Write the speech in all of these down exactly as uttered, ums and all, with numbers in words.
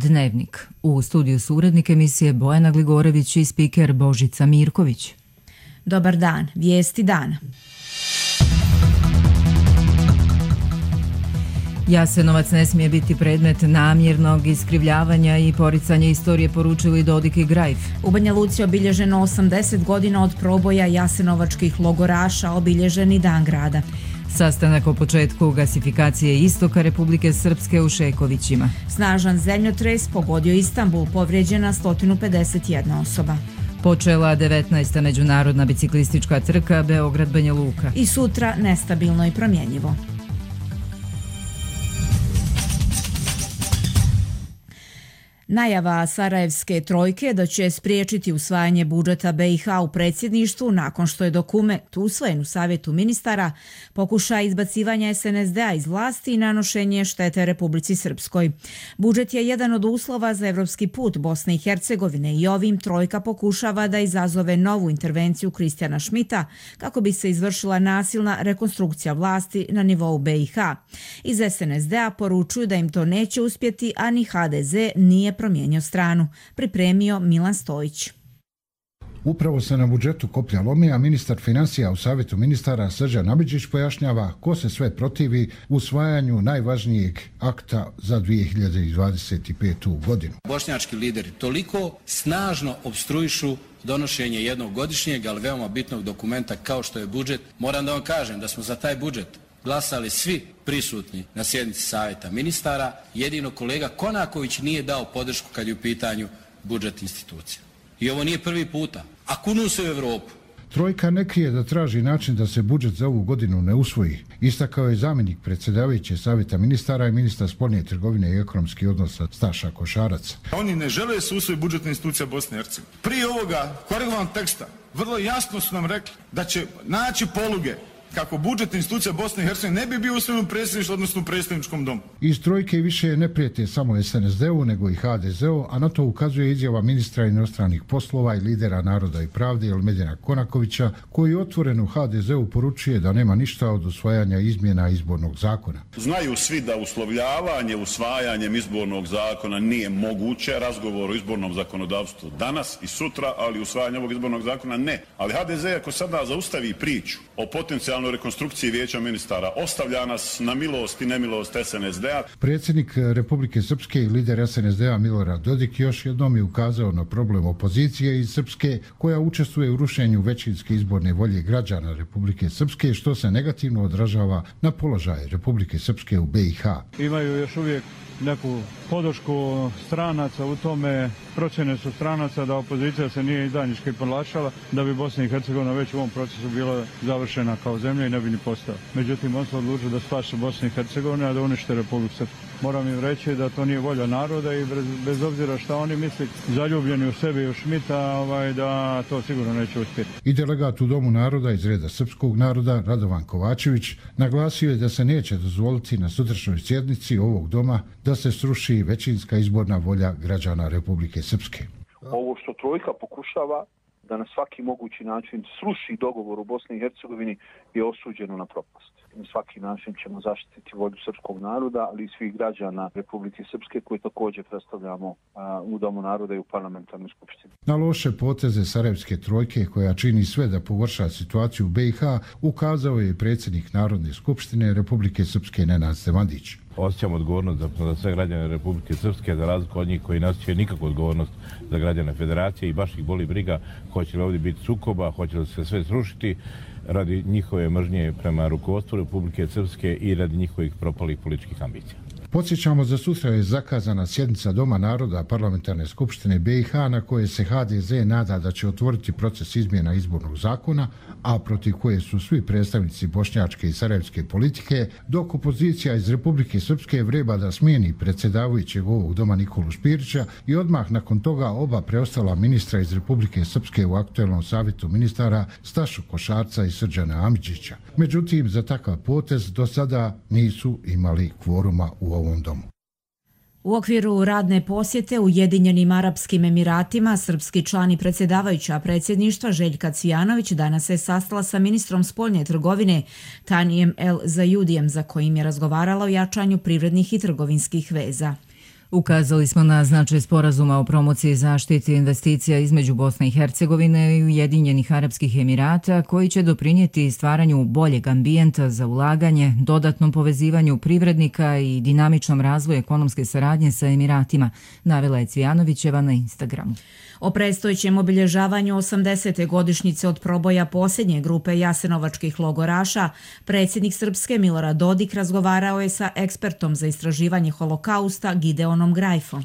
Dnevnik. U studiju su urednik emisije Bojana Gligorević i spiker Božica Mirković. Dobar dan, vijesti dana. Jasenovac ne smije biti predmet namjernog iskrivljavanja i poricanja istorije, poručili Dodik i Grajf. U Banja Luci obilježeno osamdeset godina od proboja jasenovačkih logoraša, obilježeni dan grada. Sastanak o početku gasifikacije istoka Republike Srpske u Šekovićima. Snažan zemljotres pogodio Istanbul, povrijeđena sto pedeset jedna osoba. Počela devetnaesta međunarodna biciklistička trka Beograd-Banja Luka. I sutra nestabilno i promjenjivo. Najava Sarajevske trojke da će spriječiti usvajanje budžeta B i H u predsjedništvu nakon što je dokument usvojen u Savjetu ministara pokušaj izbacivanja S N S D-a iz vlasti i nanošenje štete Republici Srpskoj. Budžet je jedan od uslova za evropski put Bosne i Hercegovine i ovim trojka pokušava da izazove novu intervenciju Kristijana Šmita kako bi se izvršila nasilna rekonstrukcija vlasti na nivou B i H. Iz S N S D-a poručuju da im to neće uspjeti, a ni H D Z nije promijenio stranu. Pripremio Milan Stojić. Upravo se na budžetu koplja lomi, a ministar financija u Savjetu ministara Srđan Amidžić pojašnjava ko se sve protivi usvajanju najvažnijeg akta za dvije hiljade dvadeset petu. godinu. Bošnjački lideri toliko snažno opstruišu donošenje jednog godišnjeg, ali veoma bitnog dokumenta kao što je budžet. Moram da vam kažem da smo za taj budžet glasali svi prisutni na sjednici Savjeta ministara, jedino kolega Konaković nije dao podršku kad je u pitanju budžet institucija. I ovo nije prvi puta, a kunu se u Evropu. Trojka ne krije da traži način da se budžet za ovu godinu ne usvoji. Istakao je zamjenik predsjedavajuće Savjeta ministara i ministar spoljne trgovine i ekonomskih odnosa Staša Košarac. Oni ne žele se usvoji budžetna institucija Bosne i Hercegovine. Prije ovoga korigovanog teksta vrlo jasno su nam rekli da će naći poluge kako budžetna institucija Bosne i Hercegovine ne bi bio usvojen u predsjedništvu, odnosno u predstavničkom domu. Iz trojke više ne prijete samo S N S D-u, nego i H D Z-u, a na to ukazuje izjava ministra inostranih poslova i lidera Naroda i pravde Elmedina Konakovića, koji otvoreno H D Z-u poručuje da nema ništa od usvajanja izmjena izbornog zakona. Znaju svi da uslovljavanje usvajanjem izbornog zakona nije moguće, razgovor o izbornom zakonodavstvu danas i sutra, ali usvajanje ovog izbornog zakona ne. Ali H D Z ako sada zaustavi priču o potencijalnom rekonstrukciji vijeća ministara, ostavlja nas na milost i nemilost S N S D-a. Predsjednik Republike Srpske i lider S N S D-a Milorad Dodik još jednom je ukazao na problem opozicije iz Srpske koja učestvuje u rušenju većinske izborne volje građana Republike Srpske, što se negativno odražava na položaj Republike Srpske u B i H. Imaju još uvijek neku podršku stranaca u tome, procjene su stranaca da opozicija se nije izdajnički ponašala, da bi Bosna i Hercegovina već u ovom procesu bila završena kao zemlja i ne bi ni postala. Međutim, on se odlučio da spase Bosnu i Hercegovinu, a da unište Republiku Srpsku. Moram im reći da to nije volja naroda i bez, bez obzira šta oni misli, zaljubljeni u sebi i u Šmita, ovaj, da to sigurno neće uspjeti. I delegat u Domu naroda iz reda srpskog naroda, Radovan Kovačević, naglasio je da se neće dozvoliti na sutrašnjoj sjednici ovog doma da se sruši većinska izborna volja građana Republike Srpske. Ovo što trojka pokušava da na svaki mogući način sruši dogovor u Bosni i Hercegovini je osuđeno na propast. Na svaki način ćemo zaštititi volju srpskog naroda, ali i svih građana Republike Srpske koji također predstavljamo a, u Domu naroda i u parlamentarnoj skupštini. Na loše poteze Sarajevske trojke, koja čini sve da pogorša situaciju u B i H, ukazao je predsjednik Narodne skupštine Republike Srpske Nenad Stevandić. Osjećam odgovornost za, za sve građane Republike Srpske, za razliku od njih koji ne osjećaju nikakvu odgovornost za građane Federacije i baš ih boli briga hoće li ovdje biti sukoba, hoće li se sve srušiti radi njihove mržnje prema rukovodstvu Republike Srpske i radi njihovih propalih političkih ambicija. Podsjećamo, za sutra je zakazana sjednica Doma naroda parlamentarne skupštine B i H na koje se H D Z nada da će otvoriti proces izmjena izbornog zakona, a protiv koje su svi predstavnici bošnjačke i sarajevske politike, dok opozicija iz Republike Srpske vreba da smijeni predsjedavajućeg ovog doma Nikolu Špirića i odmah nakon toga oba preostala ministra iz Republike Srpske u aktuelnom savjetu ministara Stašu Košarca i Srđana Amidžića. Međutim, za takav potez do sada nisu imali kvoruma u ovom domu. U okviru radne posjete Ujedinjenim Arapskim Emiratima, srpski član i predsjedavajuća predsjedništva Željka Cvijanović danas se sastala sa ministrom spoljne trgovine Tanijem El Zajudijem, za kojim je razgovarala o jačanju privrednih i trgovinskih veza. Ukazali smo na značaj sporazuma o promociji i zaštiti investicija između Bosne i Hercegovine i Ujedinjenih Arapskih Emirata, koji će doprinijeti stvaranju boljeg ambijenta za ulaganje, dodatnom povezivanju privrednika i dinamičnom razvoju ekonomske saradnje sa Emiratima, navela je Cvijanovićeva na Instagramu. O predstojećem obilježavanju osamdesete godišnjice od proboja posljednje grupe jasenovačkih logoraša, predsjednik Srpske Milorad Dodik razgovarao je sa ekspertom za istraživanje holokausta Gideonom Grajfom.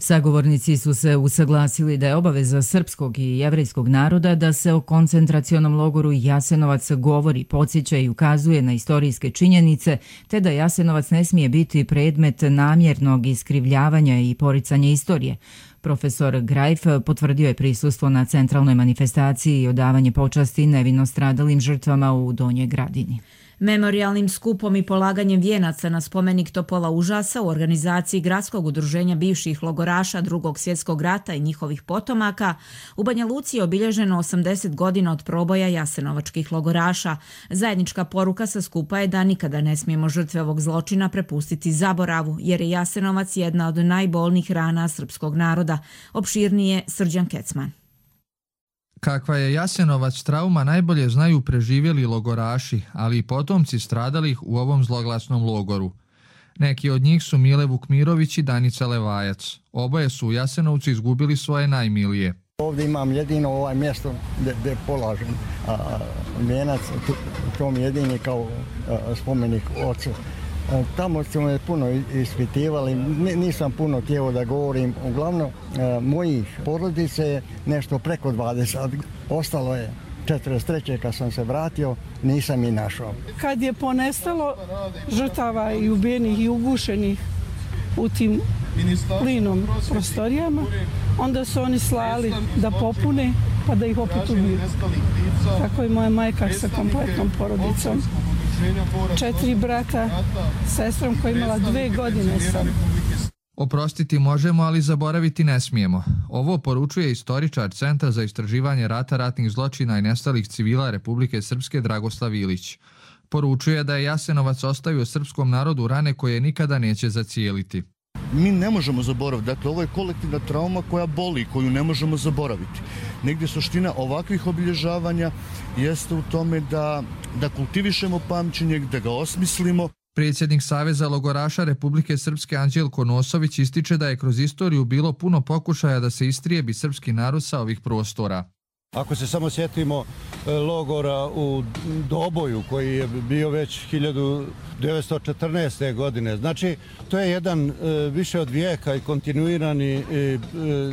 Sagovornici su se usaglasili da je obaveza srpskog i jevrejskog naroda da se o koncentracionom logoru Jasenovac govori, podsjeća i ukazuje na istorijske činjenice, te da Jasenovac ne smije biti predmet namjernog iskrivljavanja i poricanja istorije. Profesor Grajf potvrdio je prisustvo na centralnoj manifestaciji i odavanje počasti nevino stradalim žrtvama u Donjoj Gradini. Memorijalnim skupom i polaganjem vijenaca na spomenik Topola užasa u organizaciji Gradskog udruženja bivših logoraša Drugog svjetskog rata i njihovih potomaka u Banja Luci je obilježeno osamdeset godina od proboja jasenovačkih logoraša. Zajednička poruka sa skupa je da nikada ne smijemo žrtve ovog zločina prepustiti zaboravu, jer je Jasenovac jedna od najbolnijih rana srpskog naroda. Opširnije Srđan Kecman. Kakva je Jasenovac trauma najbolje znaju preživjeli logoraši, ali i potomci stradalih u ovom zloglasnom logoru. Neki od njih su Mile Vukmirović i Danica Levajac. Oboje su u Jasenovcu izgubili svoje najmilije. Ovdje imam jedino ovaj mjesto gdje polažem vijenac, to mi jedini kao a, spomenik ocu. Tamo su me puno ispitivali, nisam puno htio da govorim. Uglavnom, mojih porodice je nešto preko dvadeset. Ostalo je četrdeset treće kad sam se vratio, nisam i našao. Kad je ponestalo žrtava i ubijenih i ugušenih u tim plinom prostorijama, onda su oni slali da popune pa da ih opet ubiju. Tako i moja majka sa kompletnom porodicom. Četiri brata, sestrom koja je imala dve godine sam. Oprostiti možemo, ali zaboraviti ne smijemo. Ovo poručuje istoričar Centra za istraživanje rata, ratnih zločina i nestalih civila Republike Srpske Dragoslav Ilić. Poručuje da je Jasenovac ostavio srpskom narodu rane koje nikada neće zacijeliti. Mi ne možemo zaboraviti. Dakle, ovo je kolektivna trauma koja boli, koju ne možemo zaboraviti. Negdje suština ovakvih obilježavanja jeste u tome da, da kultivišemo pamćenje, da ga osmislimo. Predsjednik Saveza logoraša Republike Srpske Anđelko Nosović ističe da je kroz istoriju bilo puno pokušaja da se istrijebi srpski narod sa ovih prostora. Ako se samo sjetimo logora u Doboju koji je bio već hiljadu devetsto četrnaeste. godine. Znači, to je jedan više od vijeka i kontinuirani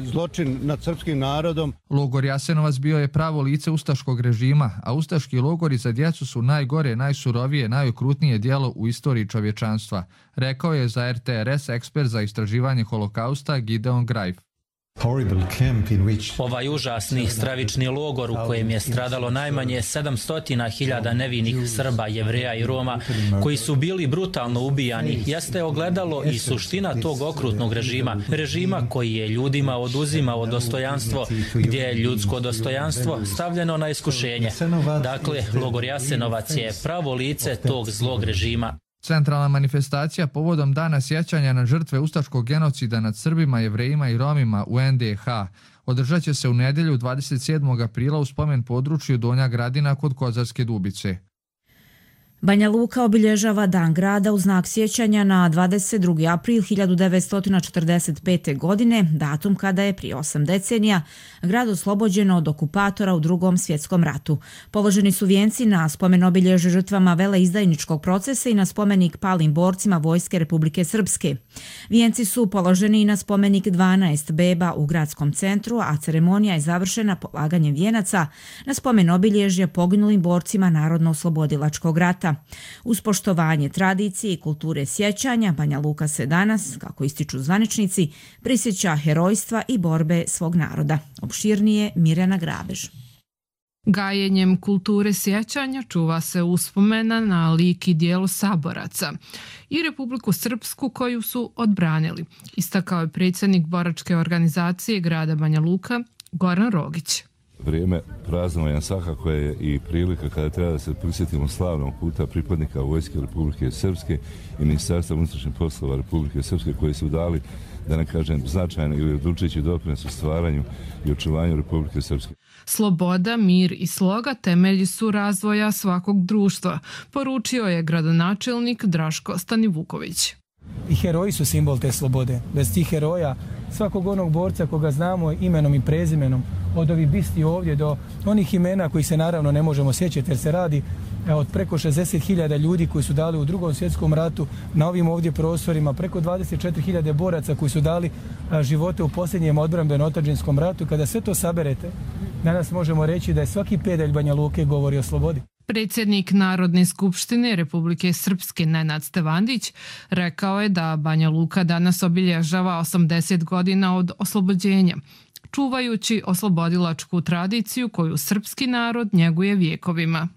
zločin nad srpskim narodom. Logor Jasenovac bio je pravo lice ustaškog režima, a ustaški logori za djecu su najgore, najsurovije, najokrutnije djelo u istoriji čovječanstva, rekao je za R T R S ekspert za istraživanje holokausta Gideon Grajf. Ovaj užasni stravični logor u kojem je stradalo najmanje sedamsto hiljada nevinih Srba, Jevreja i Roma, koji su bili brutalno ubijani, jeste ogledalo i suština tog okrutnog režima. Režima koji je ljudima oduzimao dostojanstvo, gdje je ljudsko dostojanstvo stavljeno na iskušenje. Dakle, logor Jasenovac je pravo lice tog zlog režima. Centralna manifestacija povodom dana sjećanja na žrtve ustaškog genocida nad Srbima, Jevrejima i Romima u N D H održat će se u nedjelju dvadeset sedmog aprila u spomen području Donja Gradina kod Kozarske Dubice. Banja Luka obilježava Dan grada u znak sjećanja na dvadeset drugi april hiljadu devetsto četrdeset pete. godine, datum kada je prije osam decenija grad oslobođen od okupatora u Drugom svjetskom ratu. Položeni su vijenci na spomen obilježje žrtvama veleizdajničkog procesa i na spomenik palim borcima Vojske Republike Srpske. Vijenci su položeni i na spomenik dvanaest beba u gradskom centru, a ceremonija je završena polaganjem vijenaca na spomen obilježje poginulim borcima Narodno-oslobodilačkog rata. Uz poštovanje tradicije i kulture sjećanja, Banja Luka se danas, kako ističu zvaničnici, prisjeća herojstva i borbe svog naroda. Opširnije Mirjana Grabež. Gajenjem kulture sjećanja čuva se uspomena na lik i djelo saboraca i Republiku Srpsku koju su odbranili, istakao je predsjednik boračke organizacije grada Banja Luka Goran Rogić. Vrijeme praznovanja svakako je i prilika kada treba da se prisjetimo slavnog puta pripadnika Vojske Republike Srpske i Ministarstva unutrašnjih poslova Republike Srpske koji su dali, da ne kažem, značajno ili odlučujući doprinos u stvaranju i očuvanju Republike Srpske. Sloboda, mir i sloga temelji su razvoja svakog društva, poručio je gradonačelnik Draško Stanivuković. I heroji su simbol te slobode. Bez tih heroja, svakog onog borca koga znamo imenom i prezimenom, od ovih bisti ovdje do onih imena koji se naravno ne možemo sjećati jer se radi od preko šezdeset hiljada ljudi koji su dali u Drugom svjetskom ratu na ovim ovdje prostorima, preko dvadeset četiri hiljade boraca koji su dali živote u posljednjem odbrambeno-otadžbinskom ratu. Kada sve to saberete, danas možemo reći da je svaki pedalj Banja Luke govori o slobodi. Predsjednik Narodne skupštine Republike Srpske Nenad Stevandić rekao je da Banja Luka danas obilježava osamdeset godina od oslobođenja, čuvajući oslobodilačku tradiciju koju srpski narod njeguje vjekovima.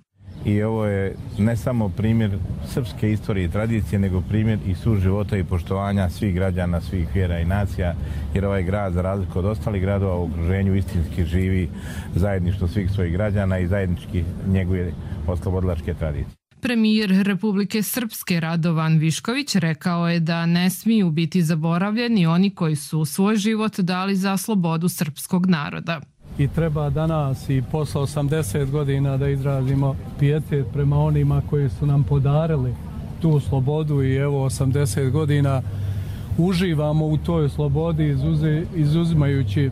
I ovo je ne samo primjer srpske istorije i tradicije, nego primjer i suživota i poštovanja svih građana, svih vjera i nacija, jer ovaj grad, za razliku od ostalih gradova u okruženju, istinski živi zajedništvo svih svojih građana i zajednički njeguje oslobodilačke tradicije. Premijer Republike Srpske Radovan Višković rekao je da ne smiju biti zaboravljeni oni koji su svoj život dali za slobodu srpskog naroda. I treba danas i posle osamdeset godina da izrazimo pijetet prema onima koji su nam podarili tu slobodu i evo osamdeset godina uživamo u toj slobodi izuzimajući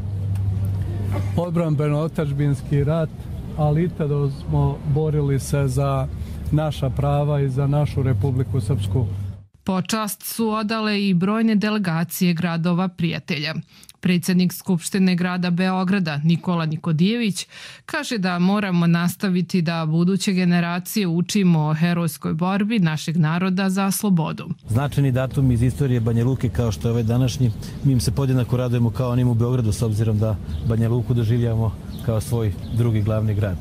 odbrambeno-otadžbinski rat, ali i tada smo borili se za naša prava i za našu Republiku Srpsku. Počast su odale i brojne delegacije gradova prijatelja. Predsjednik Skupštine grada Beograda Nikola Nikodijević kaže da moramo nastaviti da buduće generacije učimo o herojskoj borbi našeg naroda za slobodu. Značajni datum iz istorije Banja Luke kao što je ovaj današnji, mi im se podjednako radujemo kao onim u Beogradu s obzirom da Banja Luku doživljavamo kao svoj drugi glavni grad.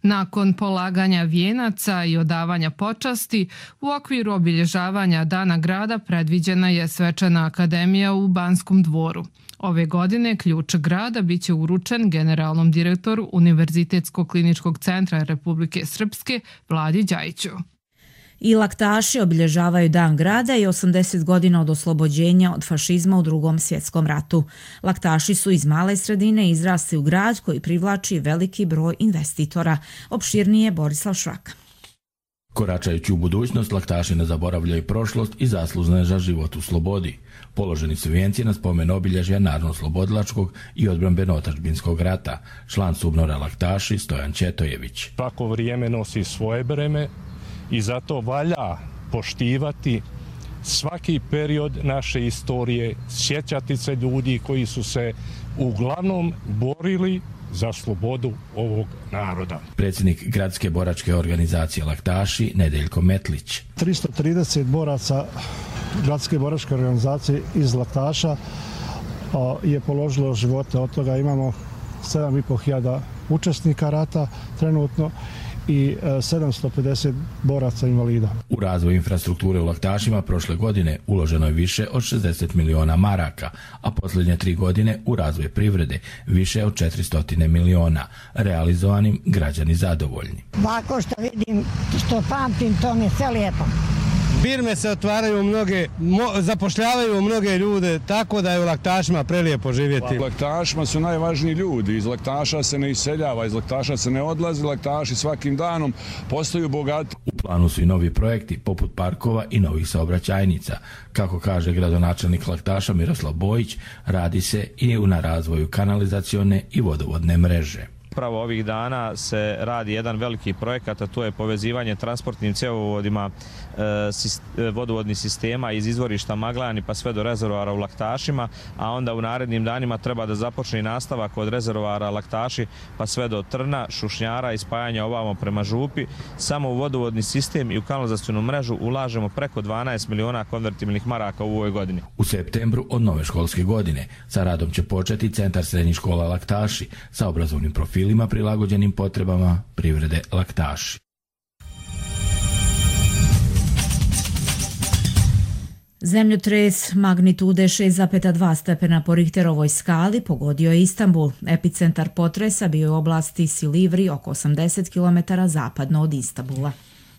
Nakon polaganja vijenaca i odavanja počasti, u okviru obilježavanja Dana grada predviđena je svečana akademija u Banskom dvoru. Ove godine ključ grada biće uručen generalnom direktoru Univerzitetskog kliničkog centra Republike Srpske Vladi Đajiću. I laktaši obilježavaju Dan grada i osamdeset godina od oslobođenja od fašizma u Drugom svjetskom ratu. Laktaši su iz male sredine izrasli u grad koji privlači veliki broj investitora. Opširnije Borislav Švaka. Koračajući u budućnost, laktaši ne zaboravljaju prošlost i zaslužne za život u slobodi. Položeni su vijenci na spomen obilježja narodno-slobodilačkog i odbrambeno-otadžbinskog rata. Član Subnora laktaši Stojan Četojević. Svako vrijeme nosi svoje breme i zato valja poštivati svaki period naše istorije, sjećati se ljudi koji su se uglavnom borili za slobodu ovog naroda. Predsjednik gradske boračke organizacije Laktaši Nedeljko Metlić. tristo trideset boraca gradske boračke organizacije iz Laktaša je položilo živote. Od toga imamo sedam i po hiljada učesnika rata trenutno i sedamsto pedeset boraca invalida. U razvoj infrastrukture u Laktašima prošle godine uloženo je više od šezdeset miliona maraka, a posljednje tri godine u razvoj privrede više od četiristo miliona. Realizovanim građani zadovoljni. Ovako što vidim, što pamtim, to mi je sve lijepo. Firme se otvaraju mnoge, mo, zapošljavaju mnoge ljude, tako da je u Laktašima prelijepo živjeti. U Laktašima su najvažniji ljudi, iz Laktaša se ne iseljava, iz Laktaša se ne odlazi, Laktaši svakim danom postaju bogati. U planu su i novi projekti poput parkova i novih saobraćajnica. Kako kaže gradonačelnik Laktaša Miroslav Bojić, radi se i na razvoju kanalizacione i vodovodne mreže. Upravo ovih dana se radi jedan veliki projekat, a to je povezivanje transportnim cjevovodima e, vodovodnih sistema iz izvorišta Maglani pa sve do rezervoara u Laktašima, a onda u narednim danima treba da započne i nastavak od rezervoara Laktaši pa sve do Trna, Šušnjara i spajanja ovamo prema Župi. Samo u vodovodni sistem i u kanalizacionu mrežu ulažemo preko dvanaest miliona konvertibilnih maraka u ovoj godini. U septembru od nove školske godine sa radom će početi Centar srednjih škola Laktaši sa obrazovnim profilima prilagođenim potrebama privrede Laktaši. Zemljotres magnitude šest zarez dva stepena po Richterovoj skali pogodio je Istanbul. Epicentar potresa bio je u oblasti Silivri, oko osamdeset kilometara zapadno od Istanbula.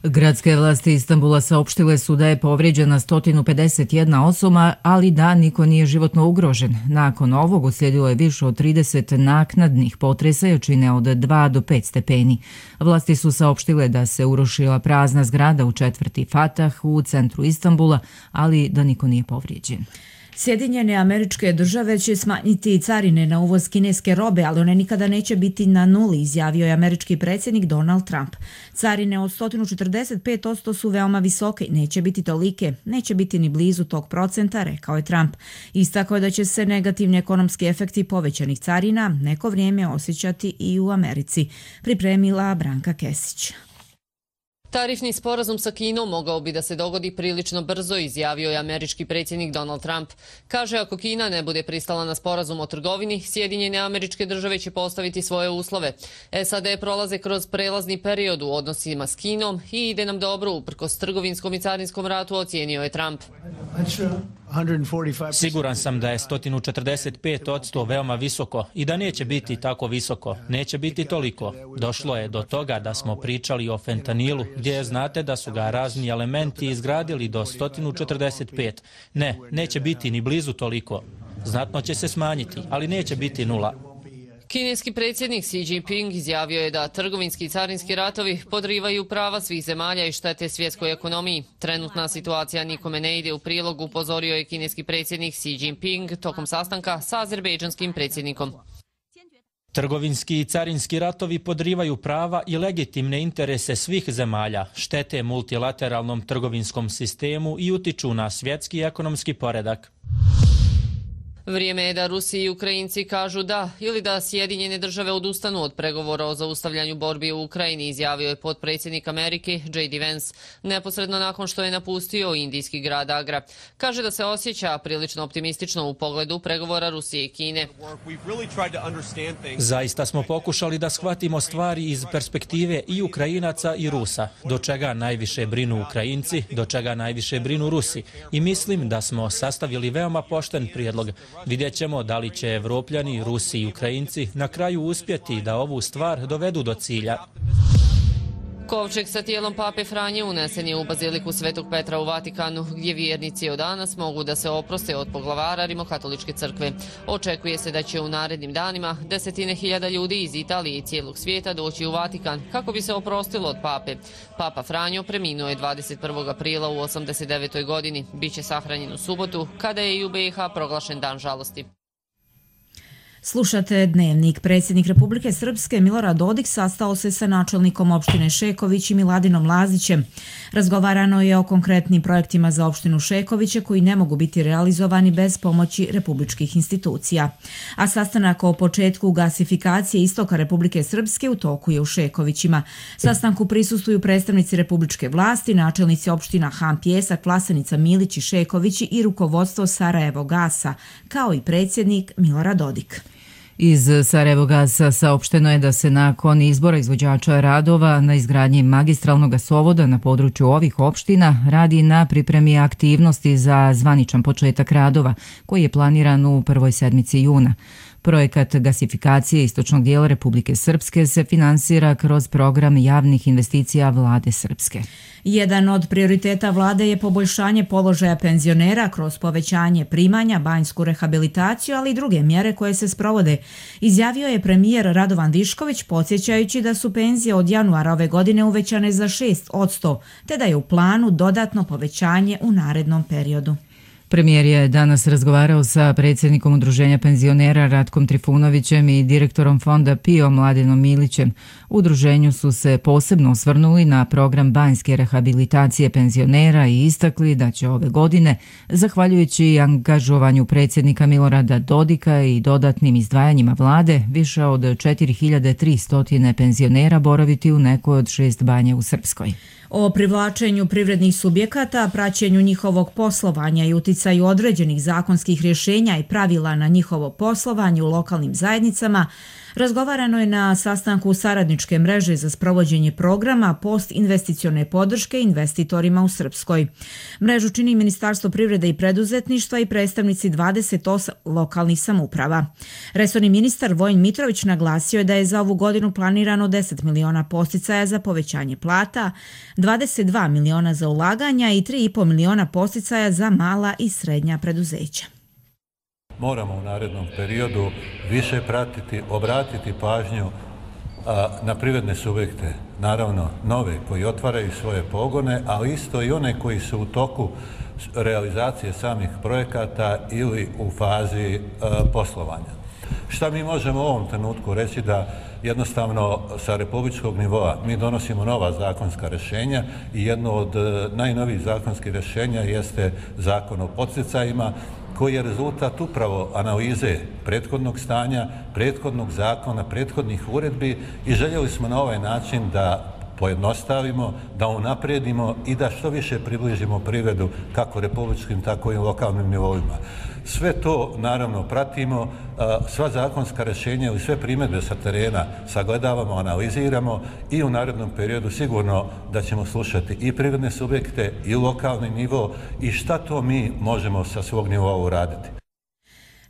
Gradske vlasti Istanbula saopštile su da je povrijeđena sto pedeset jedna osoba, ali da niko nije životno ugrožen. Nakon ovog uslijedilo je više od trideset naknadnih potresa jačine od dva do pet stepeni. Vlasti su saopštile da se urušila prazna zgrada u četvrti Fatah u centru Istanbula, ali da niko nije povrijeđen. Sjedinjene Američke Države će smanjiti carine na uvoz kineske robe, ali one nikada neće biti na nuli, izjavio je američki predsjednik Donald Trump. Carine od sto četrdeset pet posto su veoma visoke, neće biti tolike, neće biti ni blizu tog procenta, rekao je Trump. Istakao je da će se negativni ekonomski efekti povećanih carina neko vrijeme osjećati i u Americi, pripremila Branka Kesić. Tarifni sporazum sa Kinom mogao bi da se dogodi prilično brzo, izjavio je američki predsjednik Donald Trump. Kaže, ako Kina ne bude pristala na sporazum o trgovini, Sjedinjene Američke Države će postaviti svoje uslove. S A D prolaze kroz prelazni period u odnosima s Kinom i ide nam dobro uprkos trgovinskom i carinskom ratu, ocijenio je Trump. Siguran sam da je sto četrdeset pet posto veoma visoko i da neće biti tako visoko, neće biti toliko. Došlo je do toga da smo pričali o fentanilu, gdje znate da su ga razni elementi izgradili do sto četrdeset pet. Ne, neće biti ni blizu toliko. Znatno će se smanjiti, ali neće biti nula. Kineski predsjednik Xi Jinping izjavio je da trgovinski i carinski ratovi podrivaju prava svih zemalja i štete svjetskoj ekonomiji. Trenutna situacija nikome ne ide u prilog, upozorio je kineski predsjednik Xi Jinping tokom sastanka sa azerbejdžanskim predsjednikom. Trgovinski i carinski ratovi podrivaju prava i legitimne interese svih zemalja, štete multilateralnom trgovinskom sistemu i utiču na svjetski ekonomski poredak. Vrijeme je da Rusi i Ukrajinci kažu da ili da Sjedinjene Države odustanu od pregovora o zaustavljanju borbi u Ukrajini, izjavio je potpredsjednik Amerike J D Vance, neposredno nakon što je napustio indijski grad Agra. Kaže da se osjeća prilično optimistično u pogledu pregovora Rusije i Kine. Zaista smo pokušali da shvatimo stvari iz perspektive i Ukrajinaca i Rusa, do čega najviše brinu Ukrajinci, do čega najviše brinu Rusi. I mislim da smo sastavili veoma pošten prijedlog. Vidjet ćemo da li će Evropljani, Rusi i Ukrajinci na kraju uspjeti da ovu stvar dovedu do cilja. Kovčeg sa tijelom pape Franje unesen je u baziliku Svetog Petra u Vatikanu, gdje vjernici od danas mogu da se oproste od poglavara Rimokatoličke crkve. Očekuje se da će u narednim danima desetine hiljada ljudi iz Italije i cijelog svijeta doći u Vatikan kako bi se oprostilo od pape. Papa Franjo preminuo je dvadeset prvog aprila u osamdeset devetoj godini. Biće sahranjen u subotu, kada je i u B i H proglašen dan žalosti. Slušate Dnevnik. Predsjednik Republike Srpske Milorad Dodik sastao se sa načelnikom opštine Šeković i Miladinom Lazićem. Razgovarano je o konkretnim projektima za opštinu Šekoviće koji ne mogu biti realizovani bez pomoći republičkih institucija. A sastanak o početku gasifikacije istoka Republike Srpske u toku je u Šekovićima. Sastanku prisustvuju predstavnici republičke vlasti, načelnici opština Han Pjesak, Vlasenica, Milić i Šekovići i rukovodstvo Sarajevo Gasa, kao i predsjednik Milorad Dodik. Iz Sarajevogasa saopšteno je da se nakon izbora izvođača radova na izgradnji magistralnog gasovoda na području ovih opština radi na pripremi aktivnosti za zvaničan početak radova, koji je planiran u prvoj sedmici juna. Projekat gasifikacije istočnog dijela Republike Srpske se finansira kroz program javnih investicija Vlade Srpske. Jedan od prioriteta vlade je poboljšanje položaja penzionera kroz povećanje primanja, banjsku rehabilitaciju, ali i druge mjere koje se sprovode, izjavio je premijer Radovan Višković, podsjećajući da su penzije od januara ove godine uvećane za šest posto, te da je u planu dodatno povećanje u narednom periodu. Premijer je danas razgovarao sa predsjednikom Udruženja penzionera Ratkom Trifunovićem i direktorom fonda P I O Mladenom Milićem. U udruženju su se posebno osvrnuli na program banjske rehabilitacije penzionera i istakli da će ove godine, zahvaljujući angažovanju predsjednika Milorada Dodika i dodatnim izdvajanjima vlade, više od četiri hiljade tristo penzionera boraviti u nekoj od šest banja u Srpskoj. O privlačenju privrednih subjekata, praćenju njihovog poslovanja i uticaju određenih zakonskih rješenja i pravila na njihovo poslovanje u lokalnim zajednicama, Razgovarano je na sastanku saradničke mreže za sprovođenje programa postinvesticione podrške investitorima u Srpskoj. Mrežu čini Ministarstvo privrede i preduzetništva i predstavnici dvadeset osam lokalnih samouprava. Resorni ministar Vojin Mitrović naglasio je da je za ovu godinu planirano deset miliona podsticaja za povećanje plata, dvadeset dva miliona za ulaganja i tri i po miliona podsticaja za mala i srednja preduzeća. Moramo u narednom periodu više pratiti, obratiti pažnju a, na privredne subjekte, naravno nove koji otvaraju svoje pogone, ali isto i one koji su u toku realizacije samih projekata ili u fazi a, poslovanja. Šta mi možemo u ovom trenutku reći? Da jednostavno sa republičkog nivoa mi donosimo nova zakonska rješenja i jedno od najnovijih zakonskih rješenja jeste Zakon o podsticajima, koji je rezultat upravo analize prethodnog stanja, prethodnog zakona, prethodnih uredbi i željeli smo na ovaj način da pojednostavimo, da unaprijedimo i da što više približimo privredu kako republičkim, tako i lokalnim nivoima. Sve to naravno pratimo, sva zakonska rješenja ili sve primjedbe sa terena sagledavamo, analiziramo i u narednom periodu sigurno da ćemo slušati i privredne subjekte i lokalni nivo i šta to mi možemo sa svog nivoa uraditi.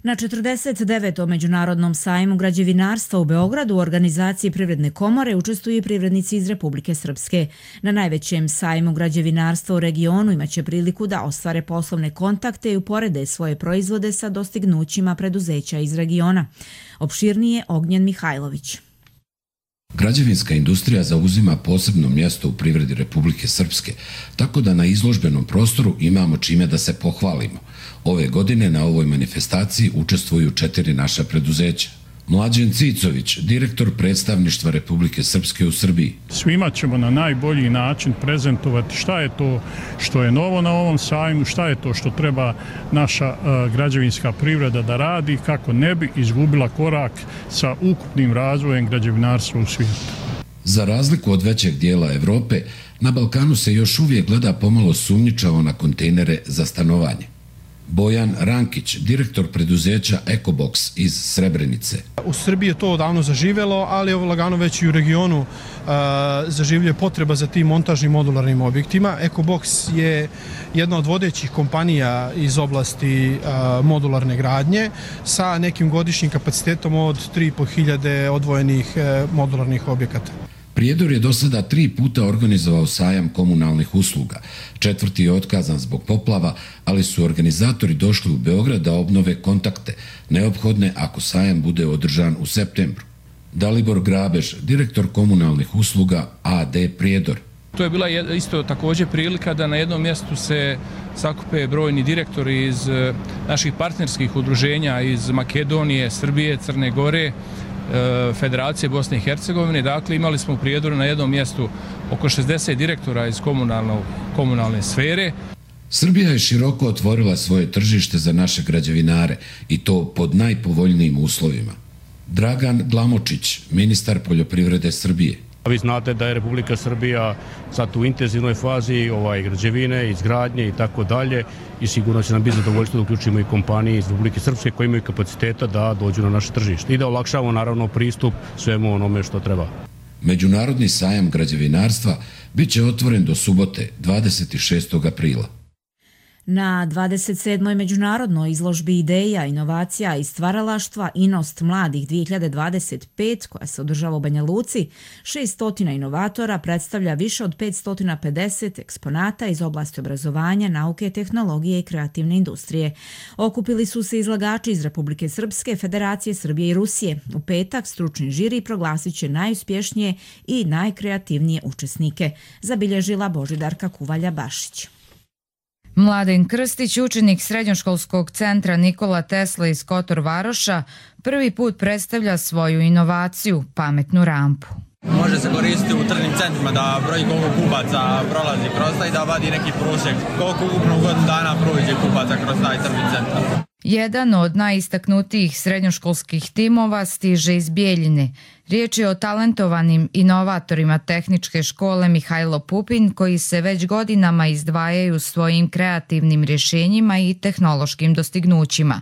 Na četrdeset devetom Međunarodnom sajmu građevinarstva u Beogradu u organizaciji Privredne komore učestvuju i privrednici iz Republike Srpske. Na najvećem sajmu građevinarstva u regionu imaće priliku da ostvare poslovne kontakte i uporede svoje proizvode sa dostignućima preduzeća iz regiona. Opširnije Ognjen Mihajlović. Građevinska industrija zauzima posebno mjesto u privredi Republike Srpske, tako da na izložbenom prostoru imamo čime da se pohvalimo. Ove godine na ovoj manifestaciji učestvuju četiri naša preduzeća. Mlađen Cicović, direktor predstavništva Republike Srpske u Srbiji. Svima ćemo na najbolji način prezentovati šta je to što je novo na ovom sajmu, šta je to što treba naša uh, građevinska privreda da radi kako ne bi izgubila korak sa ukupnim razvojem građevinarstva u svijetu. Za razliku od većeg dijela Evrope, na Balkanu se još uvijek gleda pomalo sumnjičavo na kontejnere za stanovanje. Bojan Rankić, direktor preduzeća Ecobox iz Srebrenice. U Srbiji je to odavno zaživjelo, ali ovo lagano već i u regionu uh, zaživljuje potreba za tim montažnim modularnim objektima. Ecobox je jedna od vodećih kompanija iz oblasti uh, modularne gradnje sa nekim godišnjim kapacitetom od tri i po hiljade odvojenih uh, modularnih objekata. Prijedor je do sada tri puta organizovao sajam komunalnih usluga. Četvrti je otkazan zbog poplava, ali su organizatori došli u Beograd da obnove kontakte, neophodne ako sajam bude održan u septembru. Dalibor Grabež, direktor komunalnih usluga A D Prijedor. To je bila isto također prilika da na jednom mjestu se sakupe brojni direktori iz naših partnerskih udruženja iz Makedonije, Srbije, Crne Gore, Federacije Bosne i Hercegovine. Dakle, imali smo u Prijedoru na jednom mjestu oko šezdeset direktora iz komunalne sfere. Srbija je široko otvorila svoje tržište za naše građevinare i to pod najpovoljnijim uslovima. Dragan Glamočić, ministar poljoprivrede Srbije. Vi znate da je Republika Srbija sad u intenzivnoj fazi ovaj, građevine, izgradnje i tako dalje i sigurno će nam biti zadovoljstvo da uključimo i kompanije iz Republike Srpske koji imaju kapaciteta da dođu na naše tržište i da olakšavamo naravno pristup svemu onome što treba. Međunarodni sajam građevinarstva bit će otvoren do subote dvadeset šestog aprila. Na dvadeset sedmoj međunarodnoj izložbi ideja, inovacija i stvaralaštva Inost mladih dvije hiljade dvadeset pet, koja se održava u Banja Luci, šesnaest inovatora predstavlja više od petsto pedeset eksponata iz oblasti obrazovanja, nauke, tehnologije i kreativne industrije. Okupili su se izlagači iz Republike Srpske, Federacije Srbije i Rusije. U petak stručni žiri proglasit će najuspješnije i najkreativnije učesnike, zabilježila Božidarka Kuvalja-Bašić. Mladen Krstić, učenik srednjoškolskog centra Nikola Tesla iz Kotor Varoša, prvi put predstavlja svoju inovaciju, pametnu rampu. Može se koristiti u tržnim centrima da broji koliko kupaca prolazi kroz taj i da vadi neki prosjek koliko ukupno godinu dana prođe kupaca kroz taj tržni centar. Jedan od najistaknutijih srednjoškolskih timova stiže iz Bijeljine. Riječ je o talentovanim inovatorima tehničke škole Mihajlo Pupin, koji se već godinama izdvajaju svojim kreativnim rješenjima i tehnološkim dostignućima.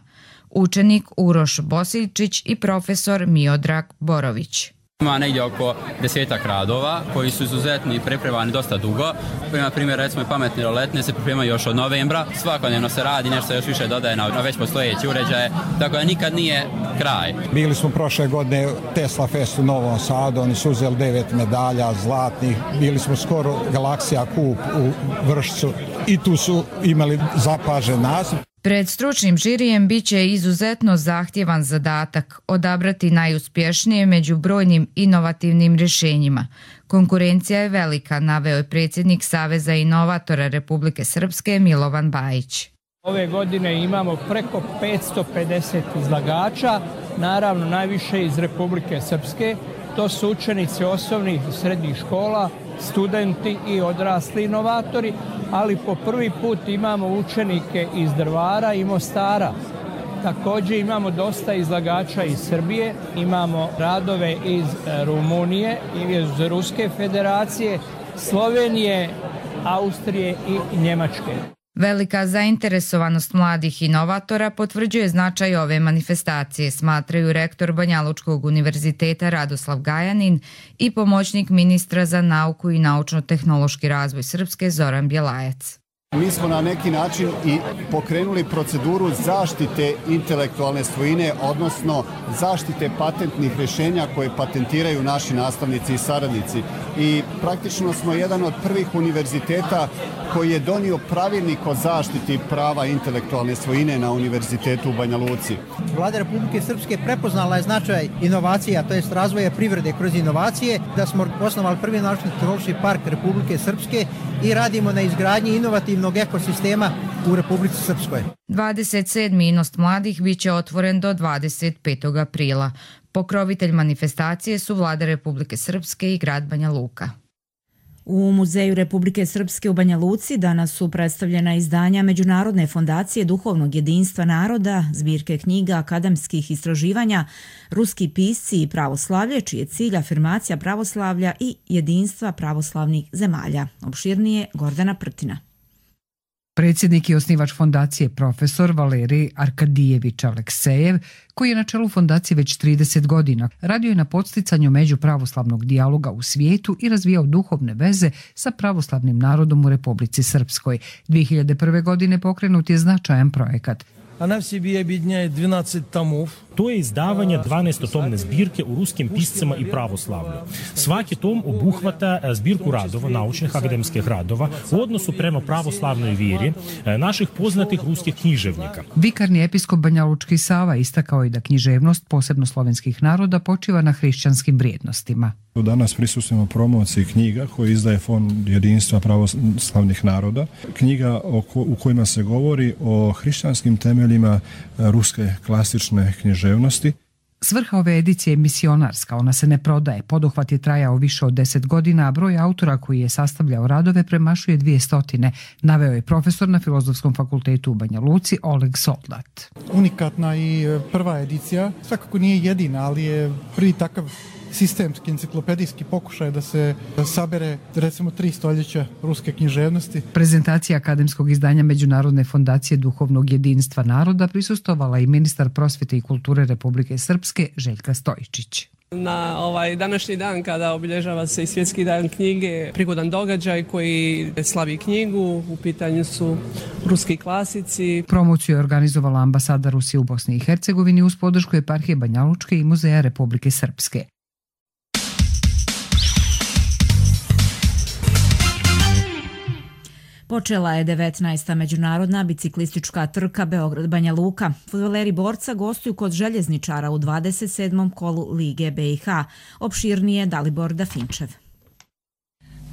učenik Uroš Bosiljčić i profesor Miodrag Borović. Ima negdje oko desetak radova koji su izuzetni i pripremani dosta dugo. Na primjer, recimo i pametne roletne se pripremaju još od novembra. Svakodnevno se radi, nešto se još više dodaje na, na već postojeće uređaje, tako da nikad nije kraj. Bili smo prošle godine Tesla Fest u Novom Sadu, oni su uzeli devet medalja zlatnih. Bili smo skoro Galaksija Kup u Vršcu i tu su imali zapažen naziv. Pred stručnim žirijem bit će izuzetno zahtjevan zadatak odabrati najuspješnije među brojnim inovativnim rješenjima. Konkurencija je velika, naveo je predsjednik Saveza inovatora Republike Srpske Milovan Bajić. Ove godine imamo preko petsto pedeset izlagača, naravno najviše iz Republike Srpske. To su učenici osnovnih i srednjih škola, studenti i odrasli inovatori, ali po prvi put imamo učenike iz Drvara i Mostara. Također imamo dosta izlagača iz Srbije, imamo radove iz Rumunije i iz Ruske federacije, Slovenije, Austrije i Njemačke. Velika zainteresovanost mladih inovatora potvrđuje značaj ove manifestacije, smatraju rektor Banjalučkog univerziteta Radoslav Gajanin i pomoćnik ministra za nauku i naučno-tehnološki razvoj Srpske Zoran Bjelajac. Mi smo na neki način i pokrenuli proceduru zaštite intelektualne svojine, odnosno zaštite patentnih rješenja koje patentiraju naši nastavnici i saradnici. I praktično smo jedan od prvih univerziteta koji je donio pravilnik o zaštiti prava intelektualne svojine na univerzitetu u Banja Luci. Vlada Republike Srpske prepoznala je značaj inovacija, to jest razvoja privrede kroz inovacije, da smo osnovali prvi naučno-tehnološki park Republike Srpske i radimo na izgradnji inovativnog ekosistema u Republici Srpskoj. dvadeset sedmi Inost mladih bit će otvoren do dvadeset petog aprila. Pokrovitelj manifestacije su Vlada Republike Srpske i grad Banja Luka. U Muzeju Republike Srpske u Banja Luci danas su predstavljena izdanja Međunarodne fondacije duhovnog jedinstva naroda, zbirke knjiga akademskih istraživanja, ruski pisci i pravoslavlje, čiji je cilj afirmacija pravoslavlja i jedinstva pravoslavnih zemalja. Opširnije Gordana Prtina. Predsjednik i osnivač fondacije profesor Valerij Arkadijević Aleksejev, koji je na čelu fondacije već trideset godina, radio je na podsticanju međupravoslavnog dijaloga u svijetu i razvijao duhovne veze sa pravoslavnim narodom u Republici Srpskoj. dvije hiljade prve. godine pokrenut je značajan projekat. Она в себе объединяет двенадцать томов. To je izdavanje dvanaestotomne zbirke u ruskim piscima i pravoslavlju. Svaki tom obuhvata zbirku radova, naučnih akademskih radova, u odnosu prema pravoslavnoj vjeri naših poznatih ruskih književnika. Vikarni episkop Banjalučki Sava istakao je da književnost, posebno slovenskih naroda, počiva na hrišćanskim vrijednostima. Danas prisustujemo promociji knjiga koje izdaje Fond jedinstva pravoslavnih naroda. Knjiga u kojima se govori o hrišćanskim temeljima ruske klasične književnosti. Svrha ove edicije je misionarska, ona se ne prodaje. Poduhvat je trajao više od deset godina, a broj autora koji je sastavljao radove premašuje dvije stotine, naveo je profesor na Filozofskom fakultetu u Banja Luci Oleg Soldat. Unikatna i prva edicija, svakako nije jedina, ali je prvi takav sistemski enciklopedijski pokušaj da se sabere recimo tri stoljeća ruske književnosti. Prezentacija akademskog izdanja Međunarodne fondacije duhovnog jedinstva naroda prisustovala i ministar prosvjete i kulture Republike Srpske Željka Stojičić. Na ovaj današnji dan kada obilježava se i Svjetski dan knjige, prigodan događaj koji slavi knjigu, u pitanju su ruski klasici. Promociju je organizovala ambasada Rusije u Bosni i Hercegovini uz podršku eparhije Banjalučke i Muzeja Republike Srpske. Počela je devetnaesta međunarodna biciklistička trka Beograd-Banja Luka. Fudbaleri borca gostuju kod željezničara u dvadeset sedmom kolu Lige B i H. Opširnije Dalibor Dafinčev.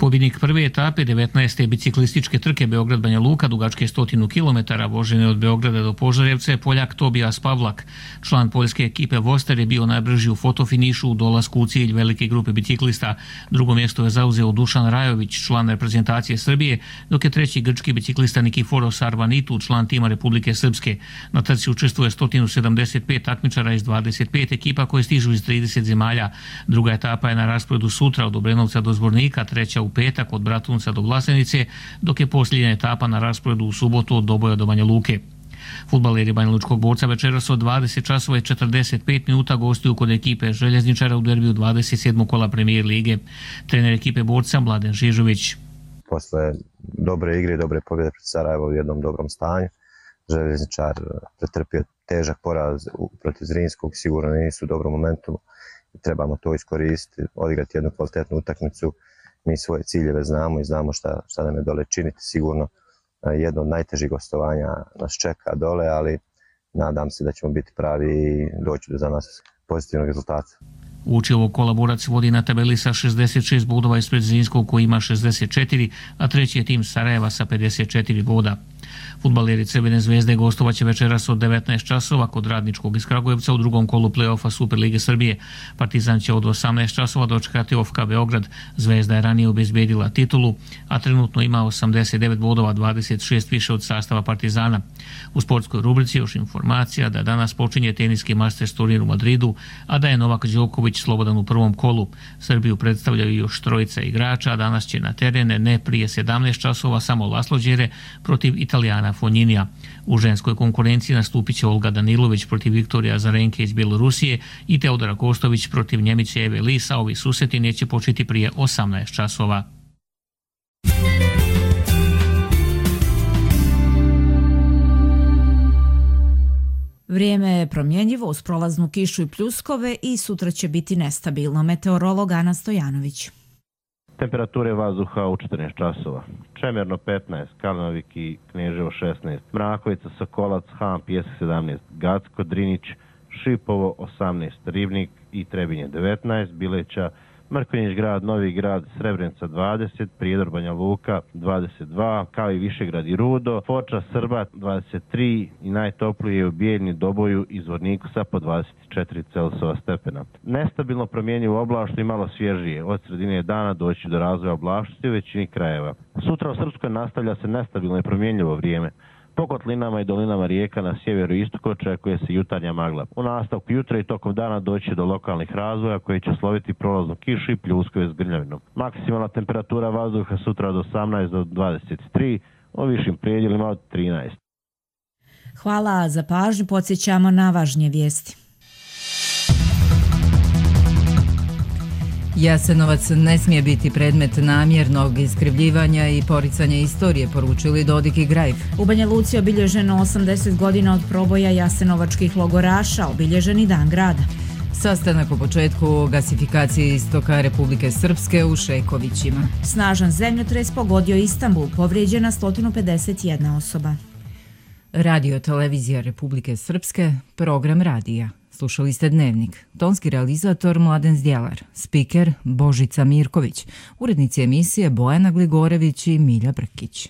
Pobjednik prve etape devetnaeste biciklističke trke Beograd-Banja Luka dugačke stotinu kilometara vožene od Beograda do Požarevca je Poljak Tobijas Pavlak. Član poljske ekipe Voster je bio najbrži u fotofinišu u dolasku u cilj velike grupe biciklista. Drugo mjesto je zauzeo Dušan Rajović, član reprezentacije Srbije, dok je treći grčki biciklista Nikiforos Arvanitu, član tima Republike Srpske. Na trci učestvuje sto sedamdeset pet takmičara iz dvadeset pet ekipa koje stižu iz trideset zemalja. Druga etapa je na rasporedu sutra od Obrenovca do Zvornika, treća u petak od Bratunca do Vlasenice, dok je posljednja etapa na rasporedu u subotu od Doboja do Banja Luke. Fudbaleri banjalučkog Borca večeras od dvadeset časova i četrdeset pet minuta gostuju kod ekipe Željezničara u derbiju dvadeset sedmog kola Premijer lige. Trener ekipe Borca Mladen Žižović. Posle dobre igre i dobre pobjede pred Sarajevo u jednom dobrom stanju, Željezničar pretrpio težak poraz protiv Zrinskog, sigurno nisu u dobrom momentu. Trebamo to iskoristiti, odigrati jednu kvalitetnu utakmicu. Mi svoje ciljeve znamo i znamo šta, šta nam je dole činiti. Sigurno jedno od najtežih gostovanja nas čeka dole, ali nadam se da ćemo biti pravi i doći do za nas pozitivnog rezultata. Uoči ovog kola Borac vodi na tabeli sa šezdeset šest bodova ispred Zrinskog koji ima šezdeset četiri, a treći je tim Sarajeva sa pedeset četiri boda. Fudbaleri Crvene zvezde gostovaće večeras od devetnaest časova kod Radničkog iz Kragujevca u drugom kolu play-offa Superlige Srbije. Partizan će od osamnaest časova dočekati O F K Beograd. Zvezda je ranije obezbedila titulu, a trenutno ima osamdeset devet bodova, dvadeset šest više od sastava Partizana. U sportskoj rubrici još informacija da danas počinje teniski Masters turnir u Madridu, a da je Novak Đoković slobodan u prvom kolu. Srbiju predstavljaju još trojica igrača, a danas će na terene ne prije sedamnaest časova samo Laslo Đere protiv Italijana Fonjinija. U ženskoj konkurenciji nastupit će Olga Danilović protiv Viktorija Azarenke iz Bjelorusije i Teodora Kostović protiv Njemice Eve Lisa. Ovi susreti neće početi prije osamnaest časova. Vrijeme je promjenjivo uz prolaznu kišu i pljuskove i sutra će biti nestabilno. Meteorolog Ana Stojanović. Temperature vazduha u četrnaest časova. Čemerno petnaest, Kalnovik i Kneževo šesnaest, Mrakovica, Sokolac, Han, Pijesak sedamnaest, Gacko, Drinić, Šipovo osamnaest, Ribnik i Trebinje devetnaest, Bileća, Mrkonjić grad, Novi grad, Srebrenica dvadeset, Prijedor, Banja Luka dvadeset dva, kao i Višegrad i Rudo, Foča, Srbat dvadeset tri i najtoplije je u Bijeljni, Doboju i Zvorniku sa po dvadeset četiri Celzijusova stepena. Nestabilno promjenjivo oblačno i malo svježije. Od sredine dana doći do razvoja oblačnosti u većini krajeva. Sutra u Srpskoj nastavlja se nestabilno i promjenjivo vrijeme. Po kotlinama i dolinama rijeka na sjeveru i istoku očekuje se jutarnja magla. U nastavku jutra i tokom dana doći do lokalnih razvoja koji će sloviti prolaznu kišu i pljuskove s grmljavinom. Maksimalna temperatura vazduha sutra od osamnaest do dvadeset tri, u višim predjelima od trinaest. Hvala za pažnju, podsjećamo na važnije vijesti. Jasenovac ne smije biti predmet namjernog iskrivljivanja i poricanja istorije, poručili Dodik i Grajf. U Banja Luci obilježeno osamdeset godina od proboja jasenovačkih logoraša, obilježeni dan grada. Sastanak u početku gasifikacije istoka Republike Srpske u Šejkovićima. Snažan zemljotres pogodio Istanbul, povrijeđena sto pedeset jedna osoba. Radio televizija Republike Srpske, program radija. Slušali ste Dnevnik. Tonski realizator Mladen Zdjelar, spiker Božica Mirković, urednici emisije Bojana Gligorević i Milja Brkić.